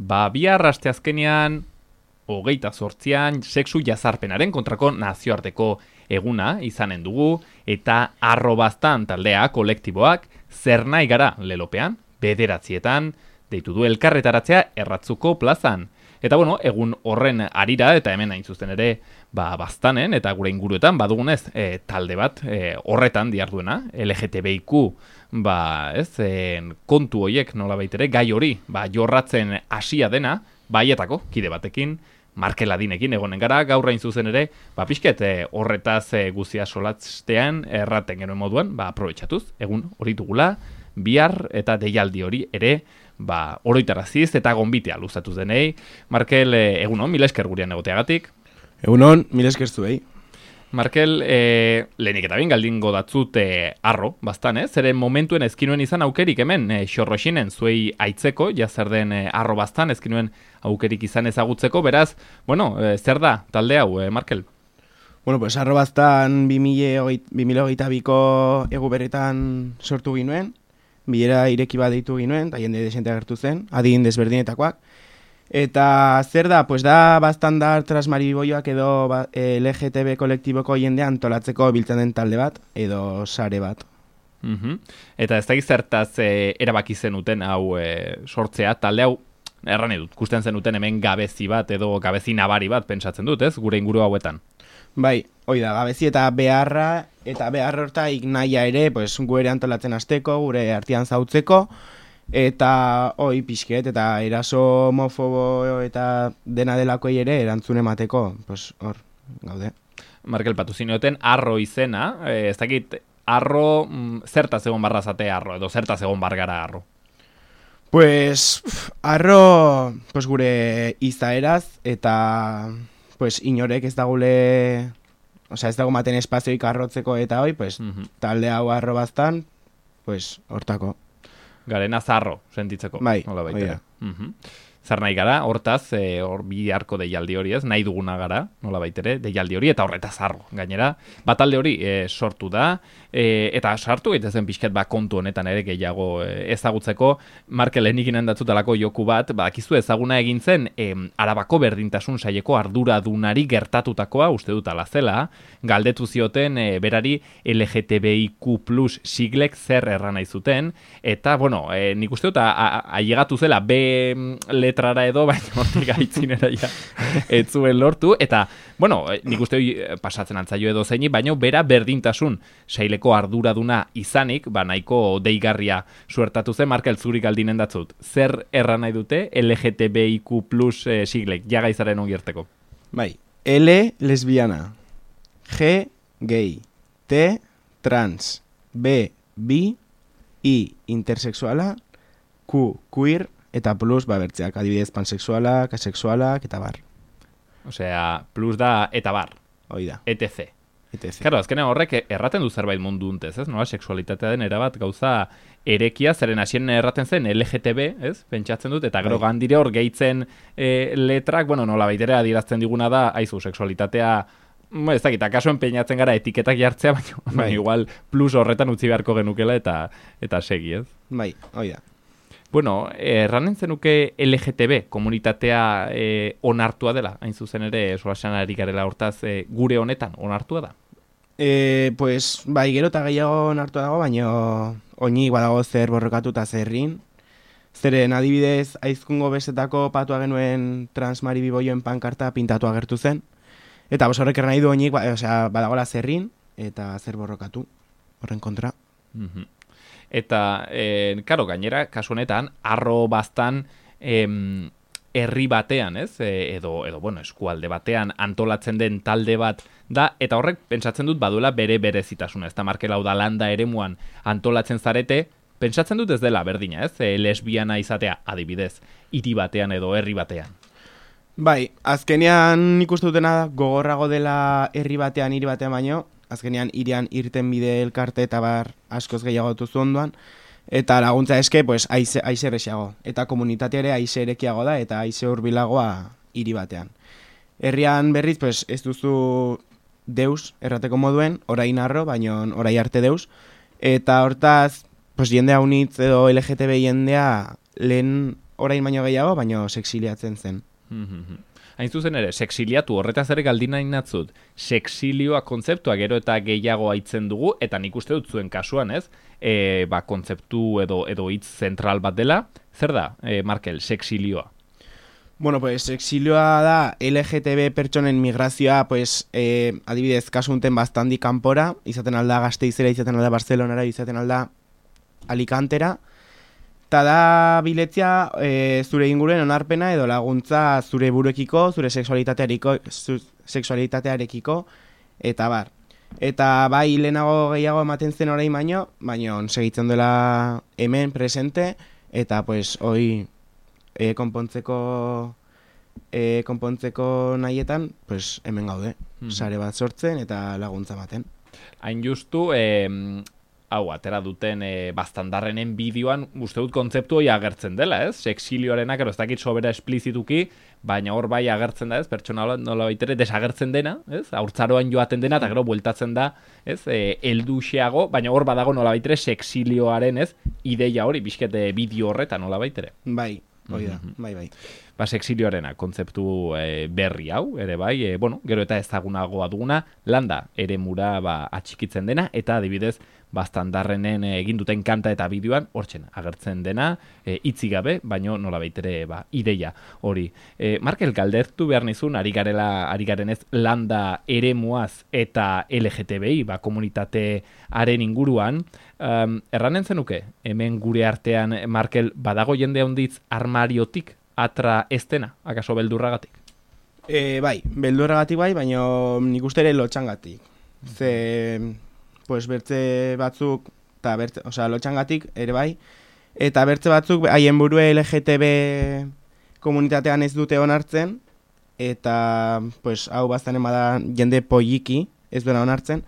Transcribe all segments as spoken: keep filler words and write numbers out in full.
ba, bihar asteazkenean, hogeita zortzian, sexu jazarpenaren kontrako nazioarteko eguna izanen dugu, eta arrobaztan taldea kolektiboak zer nahi gara lelopean, bederatzietan, deitu du elkarretaratzea erratzuko plazan. Eta bueno, egun horren arira, eta hemen hain zuzen ere, ba, baztanen, eta gure inguruetan, badugunez, e, talde bat, e, horretan diarduena, L G T B I Q, ba, ez, e, kontu hoiek nola baitere, gai hori, ba, jorratzen hasia dena, baietako, kide batekin, Markel Adinekin egonen gara, gaur hain zuzen ere, ba, pixket, e, horretaz e, guzia solatzean, erraten genuen moduan, ba, aprobetxatuz, egun hori dugula, bihar eta deialdi hori ere, ba, oroitaraziz eta gonbitea luzatuz denei. Markel, e, egunon, mila esker gurean egoteagatik. Egunon, mila esker zuei. Markel, e, lehenik eta bin galdingo datzut e, arro, bastan, ez? Zeren momentuen ezkinuen izan aukerik hemen, e, xorroxinen zuei aitzeko, ja zer den e, arro bastan, ezkinuen aukerik izan ezagutzeko, beraz, bueno, e, zer da talde hau, e, Markel? Bueno, pues arro bastan bi mila hogeita biko egu berretan sortu ginuen, bilera ireki bat deitu ginuen, eta jende desente agertu zen, adin desberdinetakoak. Eta zer da, pues da bastandar transmariboioak edo ba, L G T B kolektiboko jendea antolatzeko biltzen den talde bat, edo sare bat. Uh-huh. Eta ez da gizertaz e, erabaki zenuten hau e, sortzea, talde hau, erran edut, kusten zenuten hemen gabezi bat edo gabezi nabari bat pentsatzen dut, ez, gure inguru hauetan. Bai, hoi da, gabezi eta beharra, eta behar hortaik nahia ere, pues, gure antolatzen hasteko, gure artean zautzeko, eta hoi pixket, eta eraso homofobo eta dena delakoei ere erantzun emateko, pues, hor, gaude. Markel, patu zinioten, arro izena, eh, ez dakit, arro, mm, zertaz egon barra zate arro, edo zertaz egon bargara arro? Pues, pf, arro, pues, gure izaeraz, eta... pues inorek ez dagule, osea ez dago maten espazioik arrotzeko eta hoi, pues uh-huh. talde hau arro baztan, pues hortako. Garena zarro, sentitzeko. Bai, hola baita. Uh-huh. Zer nahi gara, hortaz, e, hor bi harko deialdi hori ez, nahi duguna gara, nola baitere, deialdi hori eta horretaz zarro. Gainera, batalde hori e, sortu da, e, eta sartu gaitezen pixket ba kontu honetan ere gehiago e, ezagutzeko, Markel lehenikinen datzutalako joku bat, badakizu ezaguna egin zen, e, Arabako berdintasun saieko arduradunari gertatutakoa, uste dut ala zela, galdetu zioten e, berari L G T B I Q plus siglek zer erran nahi zuten, eta, bueno, e, nik uste dut, ailegatu zela, B letrara edo, baina hortik aitzinera ja, ez zuen lortu, eta, bueno, nik uste pasatzen antzaio edo zeini, baina bera berdintasun saileko arduraduna izanik, ba nahiko deigarria suertatu zen, Markel zuri galdinen datzut. Zer erran nahi dute L G T B I Q plus eh, siglek, jagaizaren ongierteko? Bai, L lesbiana, G gay, T trans, B bi, I intersexuala, Q queer, eta plus, ba, bertzeak, adibidez, pansexualak, asexualak, eta bar. Osea, plus da eta bar. Hoi da. E T C. E T C. Claro, azkenean horrek erraten du zerbait mundu untez, ez? Nola, sexualitatea den erabat gauza erekia, zeren hasien erraten zen L G T B, ez? Pentsatzen dut, eta gero gandire hor gehitzen e, letrak, bueno, nola baitere adierazten diguna da, aizu, sexualitatea, ez dakit, akaso enpeinatzen gara etiketak jartzea, baina bai. Igual plus horretan utzi beharko genukela eta eta segi, ez? Bai, hoi da. Bueno, erranen zenuke L G T B komunitatea e, onartua dela, hain zuzen ere, solasean ari garela hortaz, e, gure honetan onartua da? E, pues, bai, gero eta gehiago onartua dago, baina oinik badago zer borrokatuta zerrin. Zeren adibidez, aizkungo besetako patua genuen transmaribiboioen pankarta pintatu agertu zen. Eta bos horrek nahi du oinik, ba, osea, badagola zerrin, eta zer borrokatu, horren kontra. Mhm. Eta, e, karo, gainera, kasu honetan, arro baztan em, herri batean, ez? E, edo, edo, bueno, eskualde batean antolatzen den talde bat da, eta horrek pentsatzen dut baduela bere berezitasuna, ez da Markel hau da landa eremuan antolatzen zarete, pentsatzen dut ez dela berdina, ez? E, lesbiana izatea, adibidez, hiri batean edo herri batean. Bai, azkenean nik uste dutena da, gogorrago dela herri batean, hiri batean baino, azkenean irian irten bide elkarte eta bar askoz gehiago duzu ondoan, eta laguntza eske, pues, aize, aize errexiago. Eta komunitatea ere aize erekiago da, eta aize hurbilagoa hiri batean. Herrian berriz, pues, ez duzu deus errateko moduen, orain arro, baino orai arte deus, eta hortaz, pues, jendea unitz edo L G T B jendea lehen orain baino gehiago, baino sexiliatzen zen. Hain zuzen ere, sexiliatu horretaz ere galdin nahi natzut, sexilioa kontzeptua gero eta gehiago aitzen dugu, eta nik uste dut zuen kasuan, ez? E, ba, kontzeptu edo edo hitz zentral bat dela, zer da, e, Markel, sexilioa? Bueno, pues sexilioa da L G T B pertsonen migrazioa, pues, eh, adibidez, kasu unten bastandi kanpora, izaten alda Gasteizera, izaten alda Barcelonara, izaten alda Alicantera, eta da biletzia e, zure inguruen onarpena edo laguntza zure buruekiko, zure sexualitatearekiko, zu, sexualitatearekiko, eta bar. Eta bai lehenago gehiago ematen zen orain baino, baino segitzen dela hemen presente, eta pues hoi e, konpontzeko e, konpontzeko nahietan, pues hemen gaude, mm. sare bat sortzen eta laguntza ematen. Hain justu, eh, hau, atera duten e, bastandarrenen bideoan, uste dut kontzeptu hori agertzen dela, ez? Sexilioarenak, ero ez dakit sobera esplizituki, baina hor bai agertzen da, ez? Pertsona nola baitere desagertzen dena, ez? Haurtzaroan joaten dena, eta gero bueltatzen da, ez? E, elduxeago, baina hor badago nola baitere sexilioaren, ez? Ideia hori, bizkete bideo horretan nola baitere. Bai, hori da, bai, bai. Ba, sexilioarena, kontzeptu e, berri hau, ere bai, e, bueno, gero eta ezagunagoa duguna, landa ere mura ba, atxikitzen dena, eta adibidez, bastandarrenen egin duten kanta eta bideoan, hortzen agertzen dena, e, itzi gabe, baino nola baitere ba, ideia hori. E, Markel, galdertu behar nizun, ari garela, ari garenez landa eremuaz eta L G T B I, ba, komunitatearen inguruan, um, erranen zenuke, hemen gure artean, Markel, badago jende handitz armariotik atra ez dena, akaso beldurragatik? E, bai, beldurragatik bai, baina nik uste ere lotxangatik. Ze, pues, bertze batzuk, eta bertze, osea, lotxangatik ere bai, eta bertze batzuk haien burue L G T B komunitatean ez dute onartzen, eta, pues, hau baztanen bada jende polliki ez duena onartzen,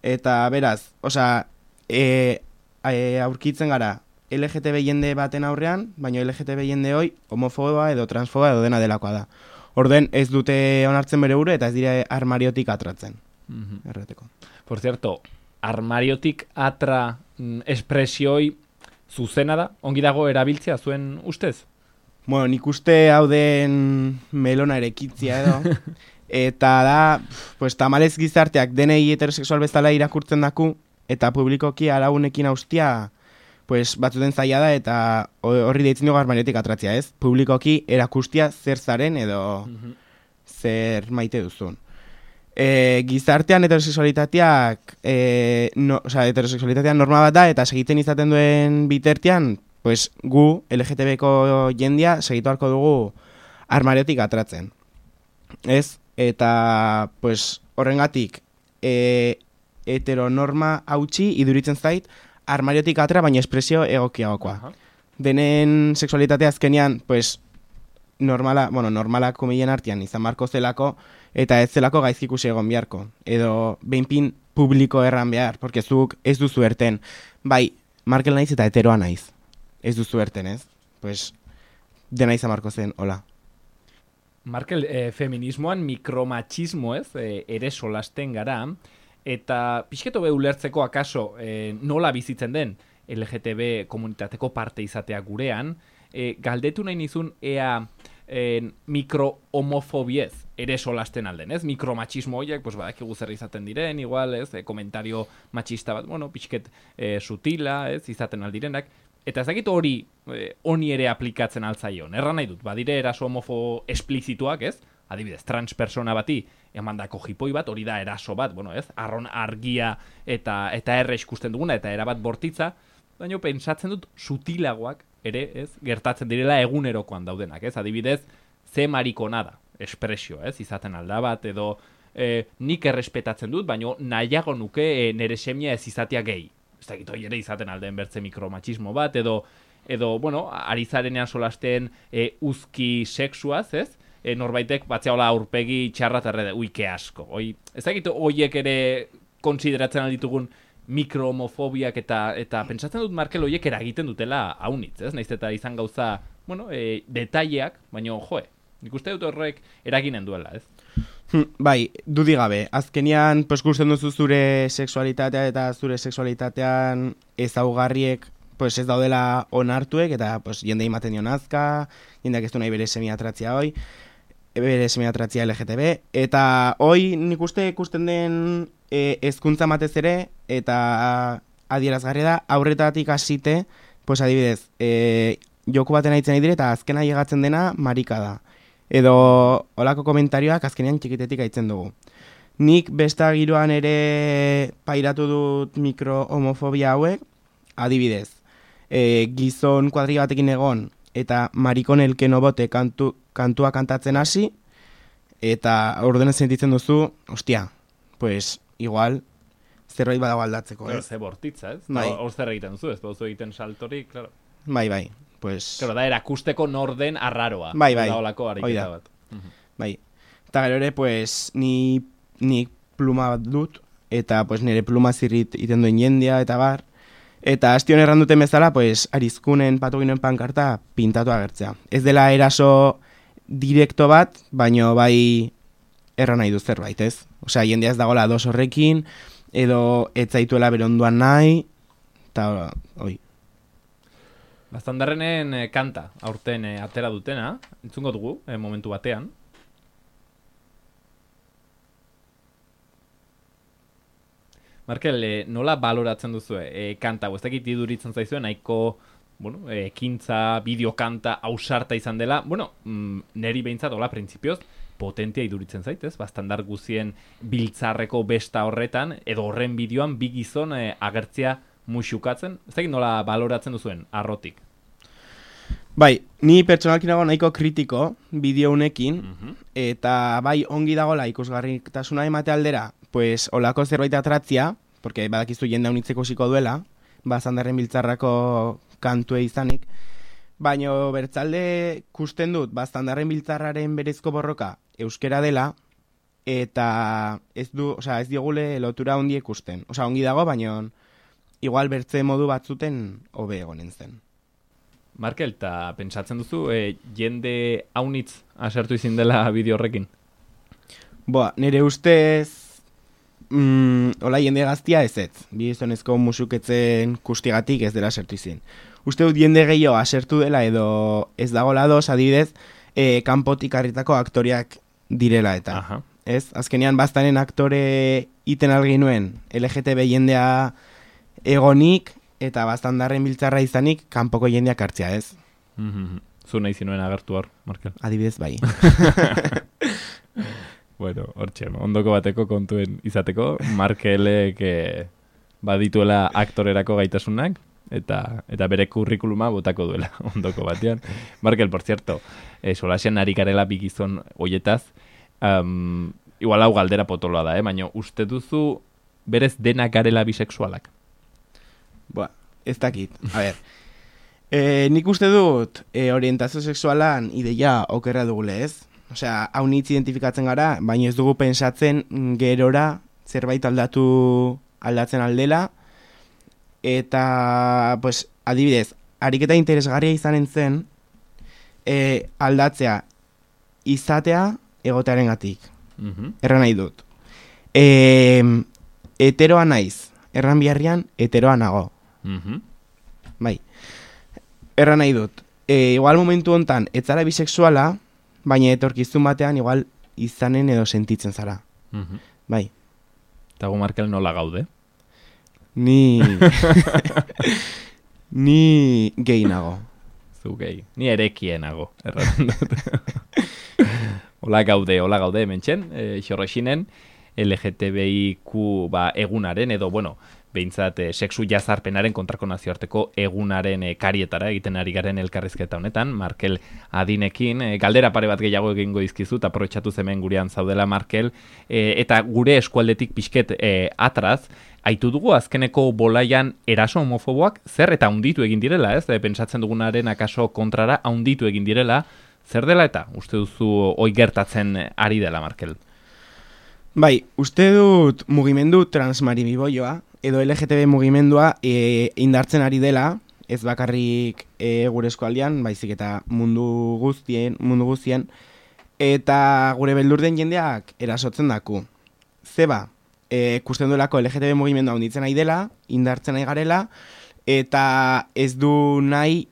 eta beraz, osea, e, e, aurkitzen gara, L G T B jende baten aurrean, baina L G T B jende hoi homofoba edo transfoba edo dena delakoa da. Orden ez dute onartzen bere buru eta ez dira armariotik atratzen. Mm-hmm. Erreteko. Por cierto, armariotik atra mm, espresioi zuzena da? Ongi dago erabiltzea zuen ustez? Bueno, nik uste hau den melona erekitzia edo. Eta da, pues, tamalez gizarteak denei heterosexual bezala irakurtzen daku, eta publikoki araunekin austia, pues, batzuten zaila da, eta horri deitzen dugu armariotik atratzea, ez? Publikoki erakustia zer zaren edo mm-hmm. zer maite duzun. E, gizartean heterosexualitateak, e, no, o sea, heterosexualitatean norma bat da, eta segiten izaten duen bitartean, pues, gu, L G T B ko jendia, segitu harko dugu armariotik atratzen. Ez? Eta, pues, horrengatik, e, heteronorma hautsi iduritzen zait, armariotik atra, baina espresio egokiagokoa. Uh-huh. Denen sexualitatea azkenean, pues, normala, bueno, normalak komilen artean izan marko zelako, eta ez zelako gaizki ikusi egon beharko. Edo, behinpin publiko erran behar, porque zuk ez duzu erten. Bai, Markel naiz eta heteroa naiz. Ez duzu erten, ez? Pues, dena izan marko zen, hola. Markel, eh, feminismoan mikromachismo, ez? Eh, ere solasten gara, eta pixketo be ulertzeko akaso e, nola bizitzen den L G T B komunitateko parte izatea gurean, e, galdetu nahi nizun ea e, mikro-homofobiez ere solasten alden, ez? Mikromachismo horiek, pues, badakigu zer izaten diren, igual, ez? E, komentario machista bat, bueno, pixket e, sutila, ez? Izaten aldirenak, eta ez dakit hori e, honi ere aplikatzen altzaion. Erran nahi dut, badire eraso homofo esplizituak, ez? Adibidez, trans persona bati emandako jipoi bat, hori da eraso bat, bueno, ez? Arron argia eta eta erre ikusten duguna eta erabat bortitza, baina pentsatzen dut sutilagoak ere, ez? Gertatzen direla egunerokoan daudenak, ez? Adibidez, ze marikona da, espresio, ez? Izaten alda bat, edo e, nik errespetatzen dut, baina nahiago nuke e, nere semia ez izatea gehi. Ez dakit hori ere izaten alden bertze mikromachismo bat, edo, edo bueno, ari zarenean solasten e, uzki sexuaz, ez? E, norbaitek batzea hola aurpegi txarra terrede, uike asko. Oi, ez dakit horiek ere konsideratzen alditugun mikrohomofobiak eta eta pentsatzen dut Markel horiek eragiten dutela haunitz, ez? Naiz eta izan gauza, bueno, e, detaileak, baina joe, nik uste dut horrek eraginen duela, ez? Bai, dudi gabe. Azkenian, pues, gusten duzu zure sexualitatea eta zure sexualitatean ezaugarriek, pues ez daudela onartuek, eta pues, jende imaten dio nazka, jendeak ez du nahi bere semiatratzia hoi, bere semiatratzia L G T B, eta hoi nik uste ikusten den e, hezkuntza matez ere, eta adierazgarria da, aurretatik hasite, pues adibidez, e, joku baten aitzen nahi dire, eta azkena llegatzen dena marika da. Edo olako komentarioak azkenean txikitetik aitzen dugu. Nik besta giroan ere pairatu dut mikro-homofobia hauek, adibidez, e, gizon kuadri batekin egon, eta marikon elkeno bote kantu, kantua kantatzen hasi, eta ordenen sentitzen duzu, ostia, pues igual zerbait badago aldatzeko, ez? Ze bortitza, ez? Bai. Hor zer egiten duzu, ez duzu egiten saltori, claro. Bai, bai, pues... Claro, da erakusteko norden arraroa. Bai, bai, da olako hoi ariketa da. bat. Mhm. Bai. Eta gero ere, pues, ni, ni pluma bat dut, eta pues, nire pluma zirrit iten duen jendea, eta bar. Eta astion erran duten bezala, pues, arizkunen patoginoen pankarta pintatu agertzea. Ez dela eraso direkto bat, baino bai erran nahi du zerbait, ez? Osea, jendea ez dagoela dos horrekin, edo ez zaituela beronduan nahi, eta hoi. Baztandarrenen eh, kanta, aurten eh, atera dutena, entzungo dugu, eh, momentu batean. Markel, eh, nola baloratzen duzu eh, kanta, ez dakit iduritzen zaizuen, nahiko, bueno, eh, ekintza, bideokanta, ausarta izan dela, bueno, mm, neri behintzat, hola, printzipioz, potentia iduritzen zaitez, bastandar guzien biltzarreko besta horretan, edo horren bideoan bi gizon eh, agertzea muxukatzen, ez dakit nola baloratzen duzuen, arrotik. Bai, ni pertsonalki nago nahiko kritiko bideo honekin, Mhm. eta bai ongi dagola ikusgarritasuna emate aldera, pues olako zerbait atratzia, porque badakizu jende unitzeko ziko duela, bazandarren biltzarrako kantue izanik, baino bertzalde kusten dut bazandarren biltzarraren berezko borroka euskera dela, eta ez du, osea, ez diogule lotura ondi ikusten. Osea, ongi dago, baino igual bertze modu batzuten hobe egonen zen. Markel, eta pentsatzen duzu, e, jende haunitz asertu izin dela bideo horrekin? Boa, nire ustez, mm, hola jende gaztia ez ez. Bi gizonezko musuketzen kustigatik ez dela asertu izin. Uste dut jende gehiago asertu dela edo ez dagoela doz, adibidez, e, kanpotik harritako aktoriak direla eta. Aha. Ez? Azkenean baztanen aktore iten algin nuen L G T B jendea egonik, eta baztandarren biltzarra izanik kanpoko jendeak hartzea, ez? Mhm. Zu nahi zinuen agertu hor, Markel. Adibidez bai. Bueno, hortxe, ondoko bateko kontuen izateko, Markelek eh, badituela aktorerako gaitasunak, eta eta bere kurrikuluma botako duela ondoko batean. Markel, por cierto, eh, solasean ari garela bi gizon hoietaz, um, igual hau galdera potoloa da, eh? Baina uste duzu berez denak garela bisexualak? Boa, ez dakit. A ber, e, nik uste dut e, orientazio sexualan ideia okerra dugule, ez? Osea, hau nitz identifikatzen gara, baina ez dugu pensatzen gerora zerbait aldatu aldatzen aldela, eta, pues, adibidez, ariketa interesgarria izanen zen e, aldatzea izatea egotearen gatik. Mhm. Erran nahi dut. E, heteroa naiz, erran biharrian heteroa nago. Mhm. Bai. Erran nahi dut. E, igual momentu hontan ez zara bisexuala, baina etorkizun batean igual izanen edo sentitzen zara. Mhm. Bai. Eta gu Markel nola gaude? Ni... Ni gehi nago. Zu gehi. Ni erekienago, erraten dut. Hola gaude, hola gaude hementxen, e, xorrexinen, L G T B I Q ba, egunaren, edo, bueno, behintzat e, sexu jazarpenaren kontrako nazioarteko egunaren e, karietara egiten ari garen elkarrizketa honetan, Markel adinekin, e, galdera pare bat gehiago egingo dizkizut, aprobetxatu hemen gurean zaudela Markel, e, eta gure eskualdetik pixket e, atraz, aitu dugu azkeneko bolaian eraso homofoboak zer eta hunditu egin direla, ez? E, pentsatzen dugunaren akaso kontrara hunditu egin direla, zer dela eta uste duzu hoi gertatzen ari dela, Markel? Bai, uste dut mugimendu transmarimiboioa, edo L G T B mugimendua e, indartzen ari dela, ez bakarrik e, gure eskualdean, baizik eta mundu guztien, mundu guztien, eta gure beldur den jendeak erasotzen daku. Zeba, e, kusten duelako L G T B mugimendua hunditzen ari dela, indartzen ari garela, eta ez du nahi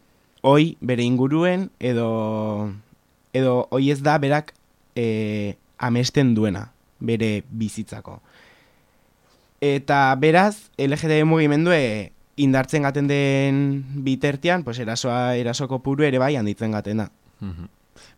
hoi bere inguruen edo edo hoi ez da berak e, amesten duena bere bizitzako. Eta beraz, L G B T mugimendue indartzen gaten den bitertian, pues erasoa, erasoko puru ere bai handitzen gaten da. Mhm.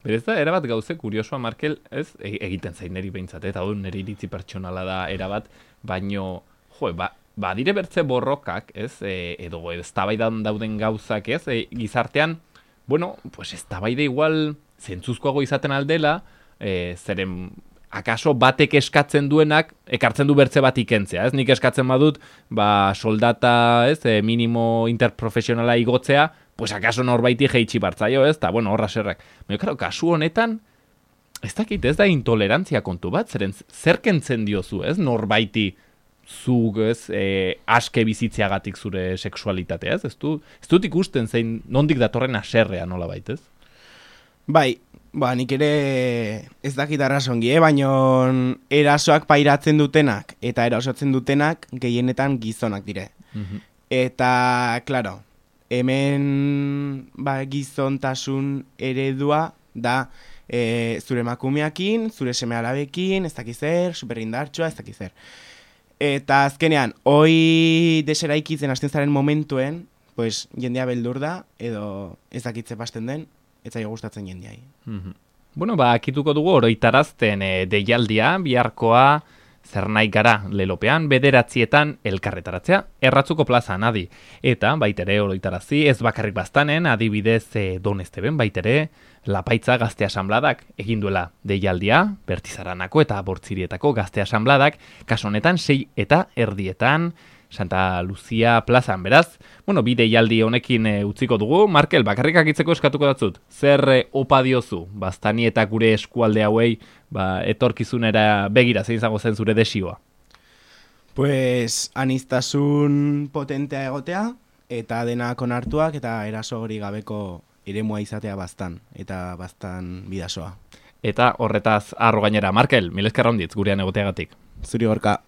Berez da, erabat gauze kuriosoa, Markel, ez, e- egiten zain neri behintzat, eta hau neri iritzi pertsonala da erabat, baino, jo, ba, badire bertze borrokak, ez, e, edo eztabaidan dauden gauzak, ez, e, gizartean, bueno, pues eztabaide igual zentzuzkoago izaten aldela, e, zeren akaso batek eskatzen duenak ekartzen du bertze bat ikentzea, ez? Nik eskatzen badut, ba, soldata, ez, e, minimo interprofesionala igotzea, pues akaso norbaiti jeitsi bartzaio, ez? Ta, bueno, horra serrak. Baina, claro, kasu honetan, ez dakit, ez da intolerantzia kontu bat, zeren zer kentzen diozu, ez? Norbaiti zuk, ez, e, aske bizitzeagatik zure sexualitatea, ez? Ez, du, ez dut ikusten zein nondik datorren aserrea nola baitez? Bai, ba, nik ere ez dakit arrazongi, eh? Baina erasoak pairatzen dutenak eta erasotzen dutenak gehienetan gizonak dire. Mhm. Eta, claro, hemen ba, gizontasun eredua da e, zure emakumeakin, zure seme alabekin, ez dakiz zer, superindartsua, ez dakiz zer. Eta azkenean, hoi deseraikitzen hasten zaren momentuen, pues, jendea beldur da, edo ez dakitze pasten den, ez zaio gustatzen jendeai. Mhm. Bueno, ba, akituko dugu oroitarazten e, deialdia, biharkoa, zer nahi gara lelopean, bederatzietan elkarretaratzea, erratzuko plazan, adi. Eta, baitere oroitarazi, ez bakarrik baztanen, adibidez e, Donesteben, baitere, Lapaitza gazte asambladak egin duela deialdia, Bertizaranako eta Bortzirietako gazte asambladak, kaso honetan sei eta erdietan, Santa Lucia plazan, beraz. Bueno, bi deialdi honekin e, utziko dugu. Markel, bakarrik akitzeko eskatuko datzut. Zer e, opa diozu, baztani eta gure eskualde hauei, ba, etorkizunera begira zein izango zen zure desioa? Pues, aniztasun potentea egotea, eta denak onartuak, eta eraso hori gabeko eremua izatea bastan, eta bastan bidasoa. Eta horretaz arro gainera, Markel, mil esker onditz gurean egoteagatik. Zuri gorka.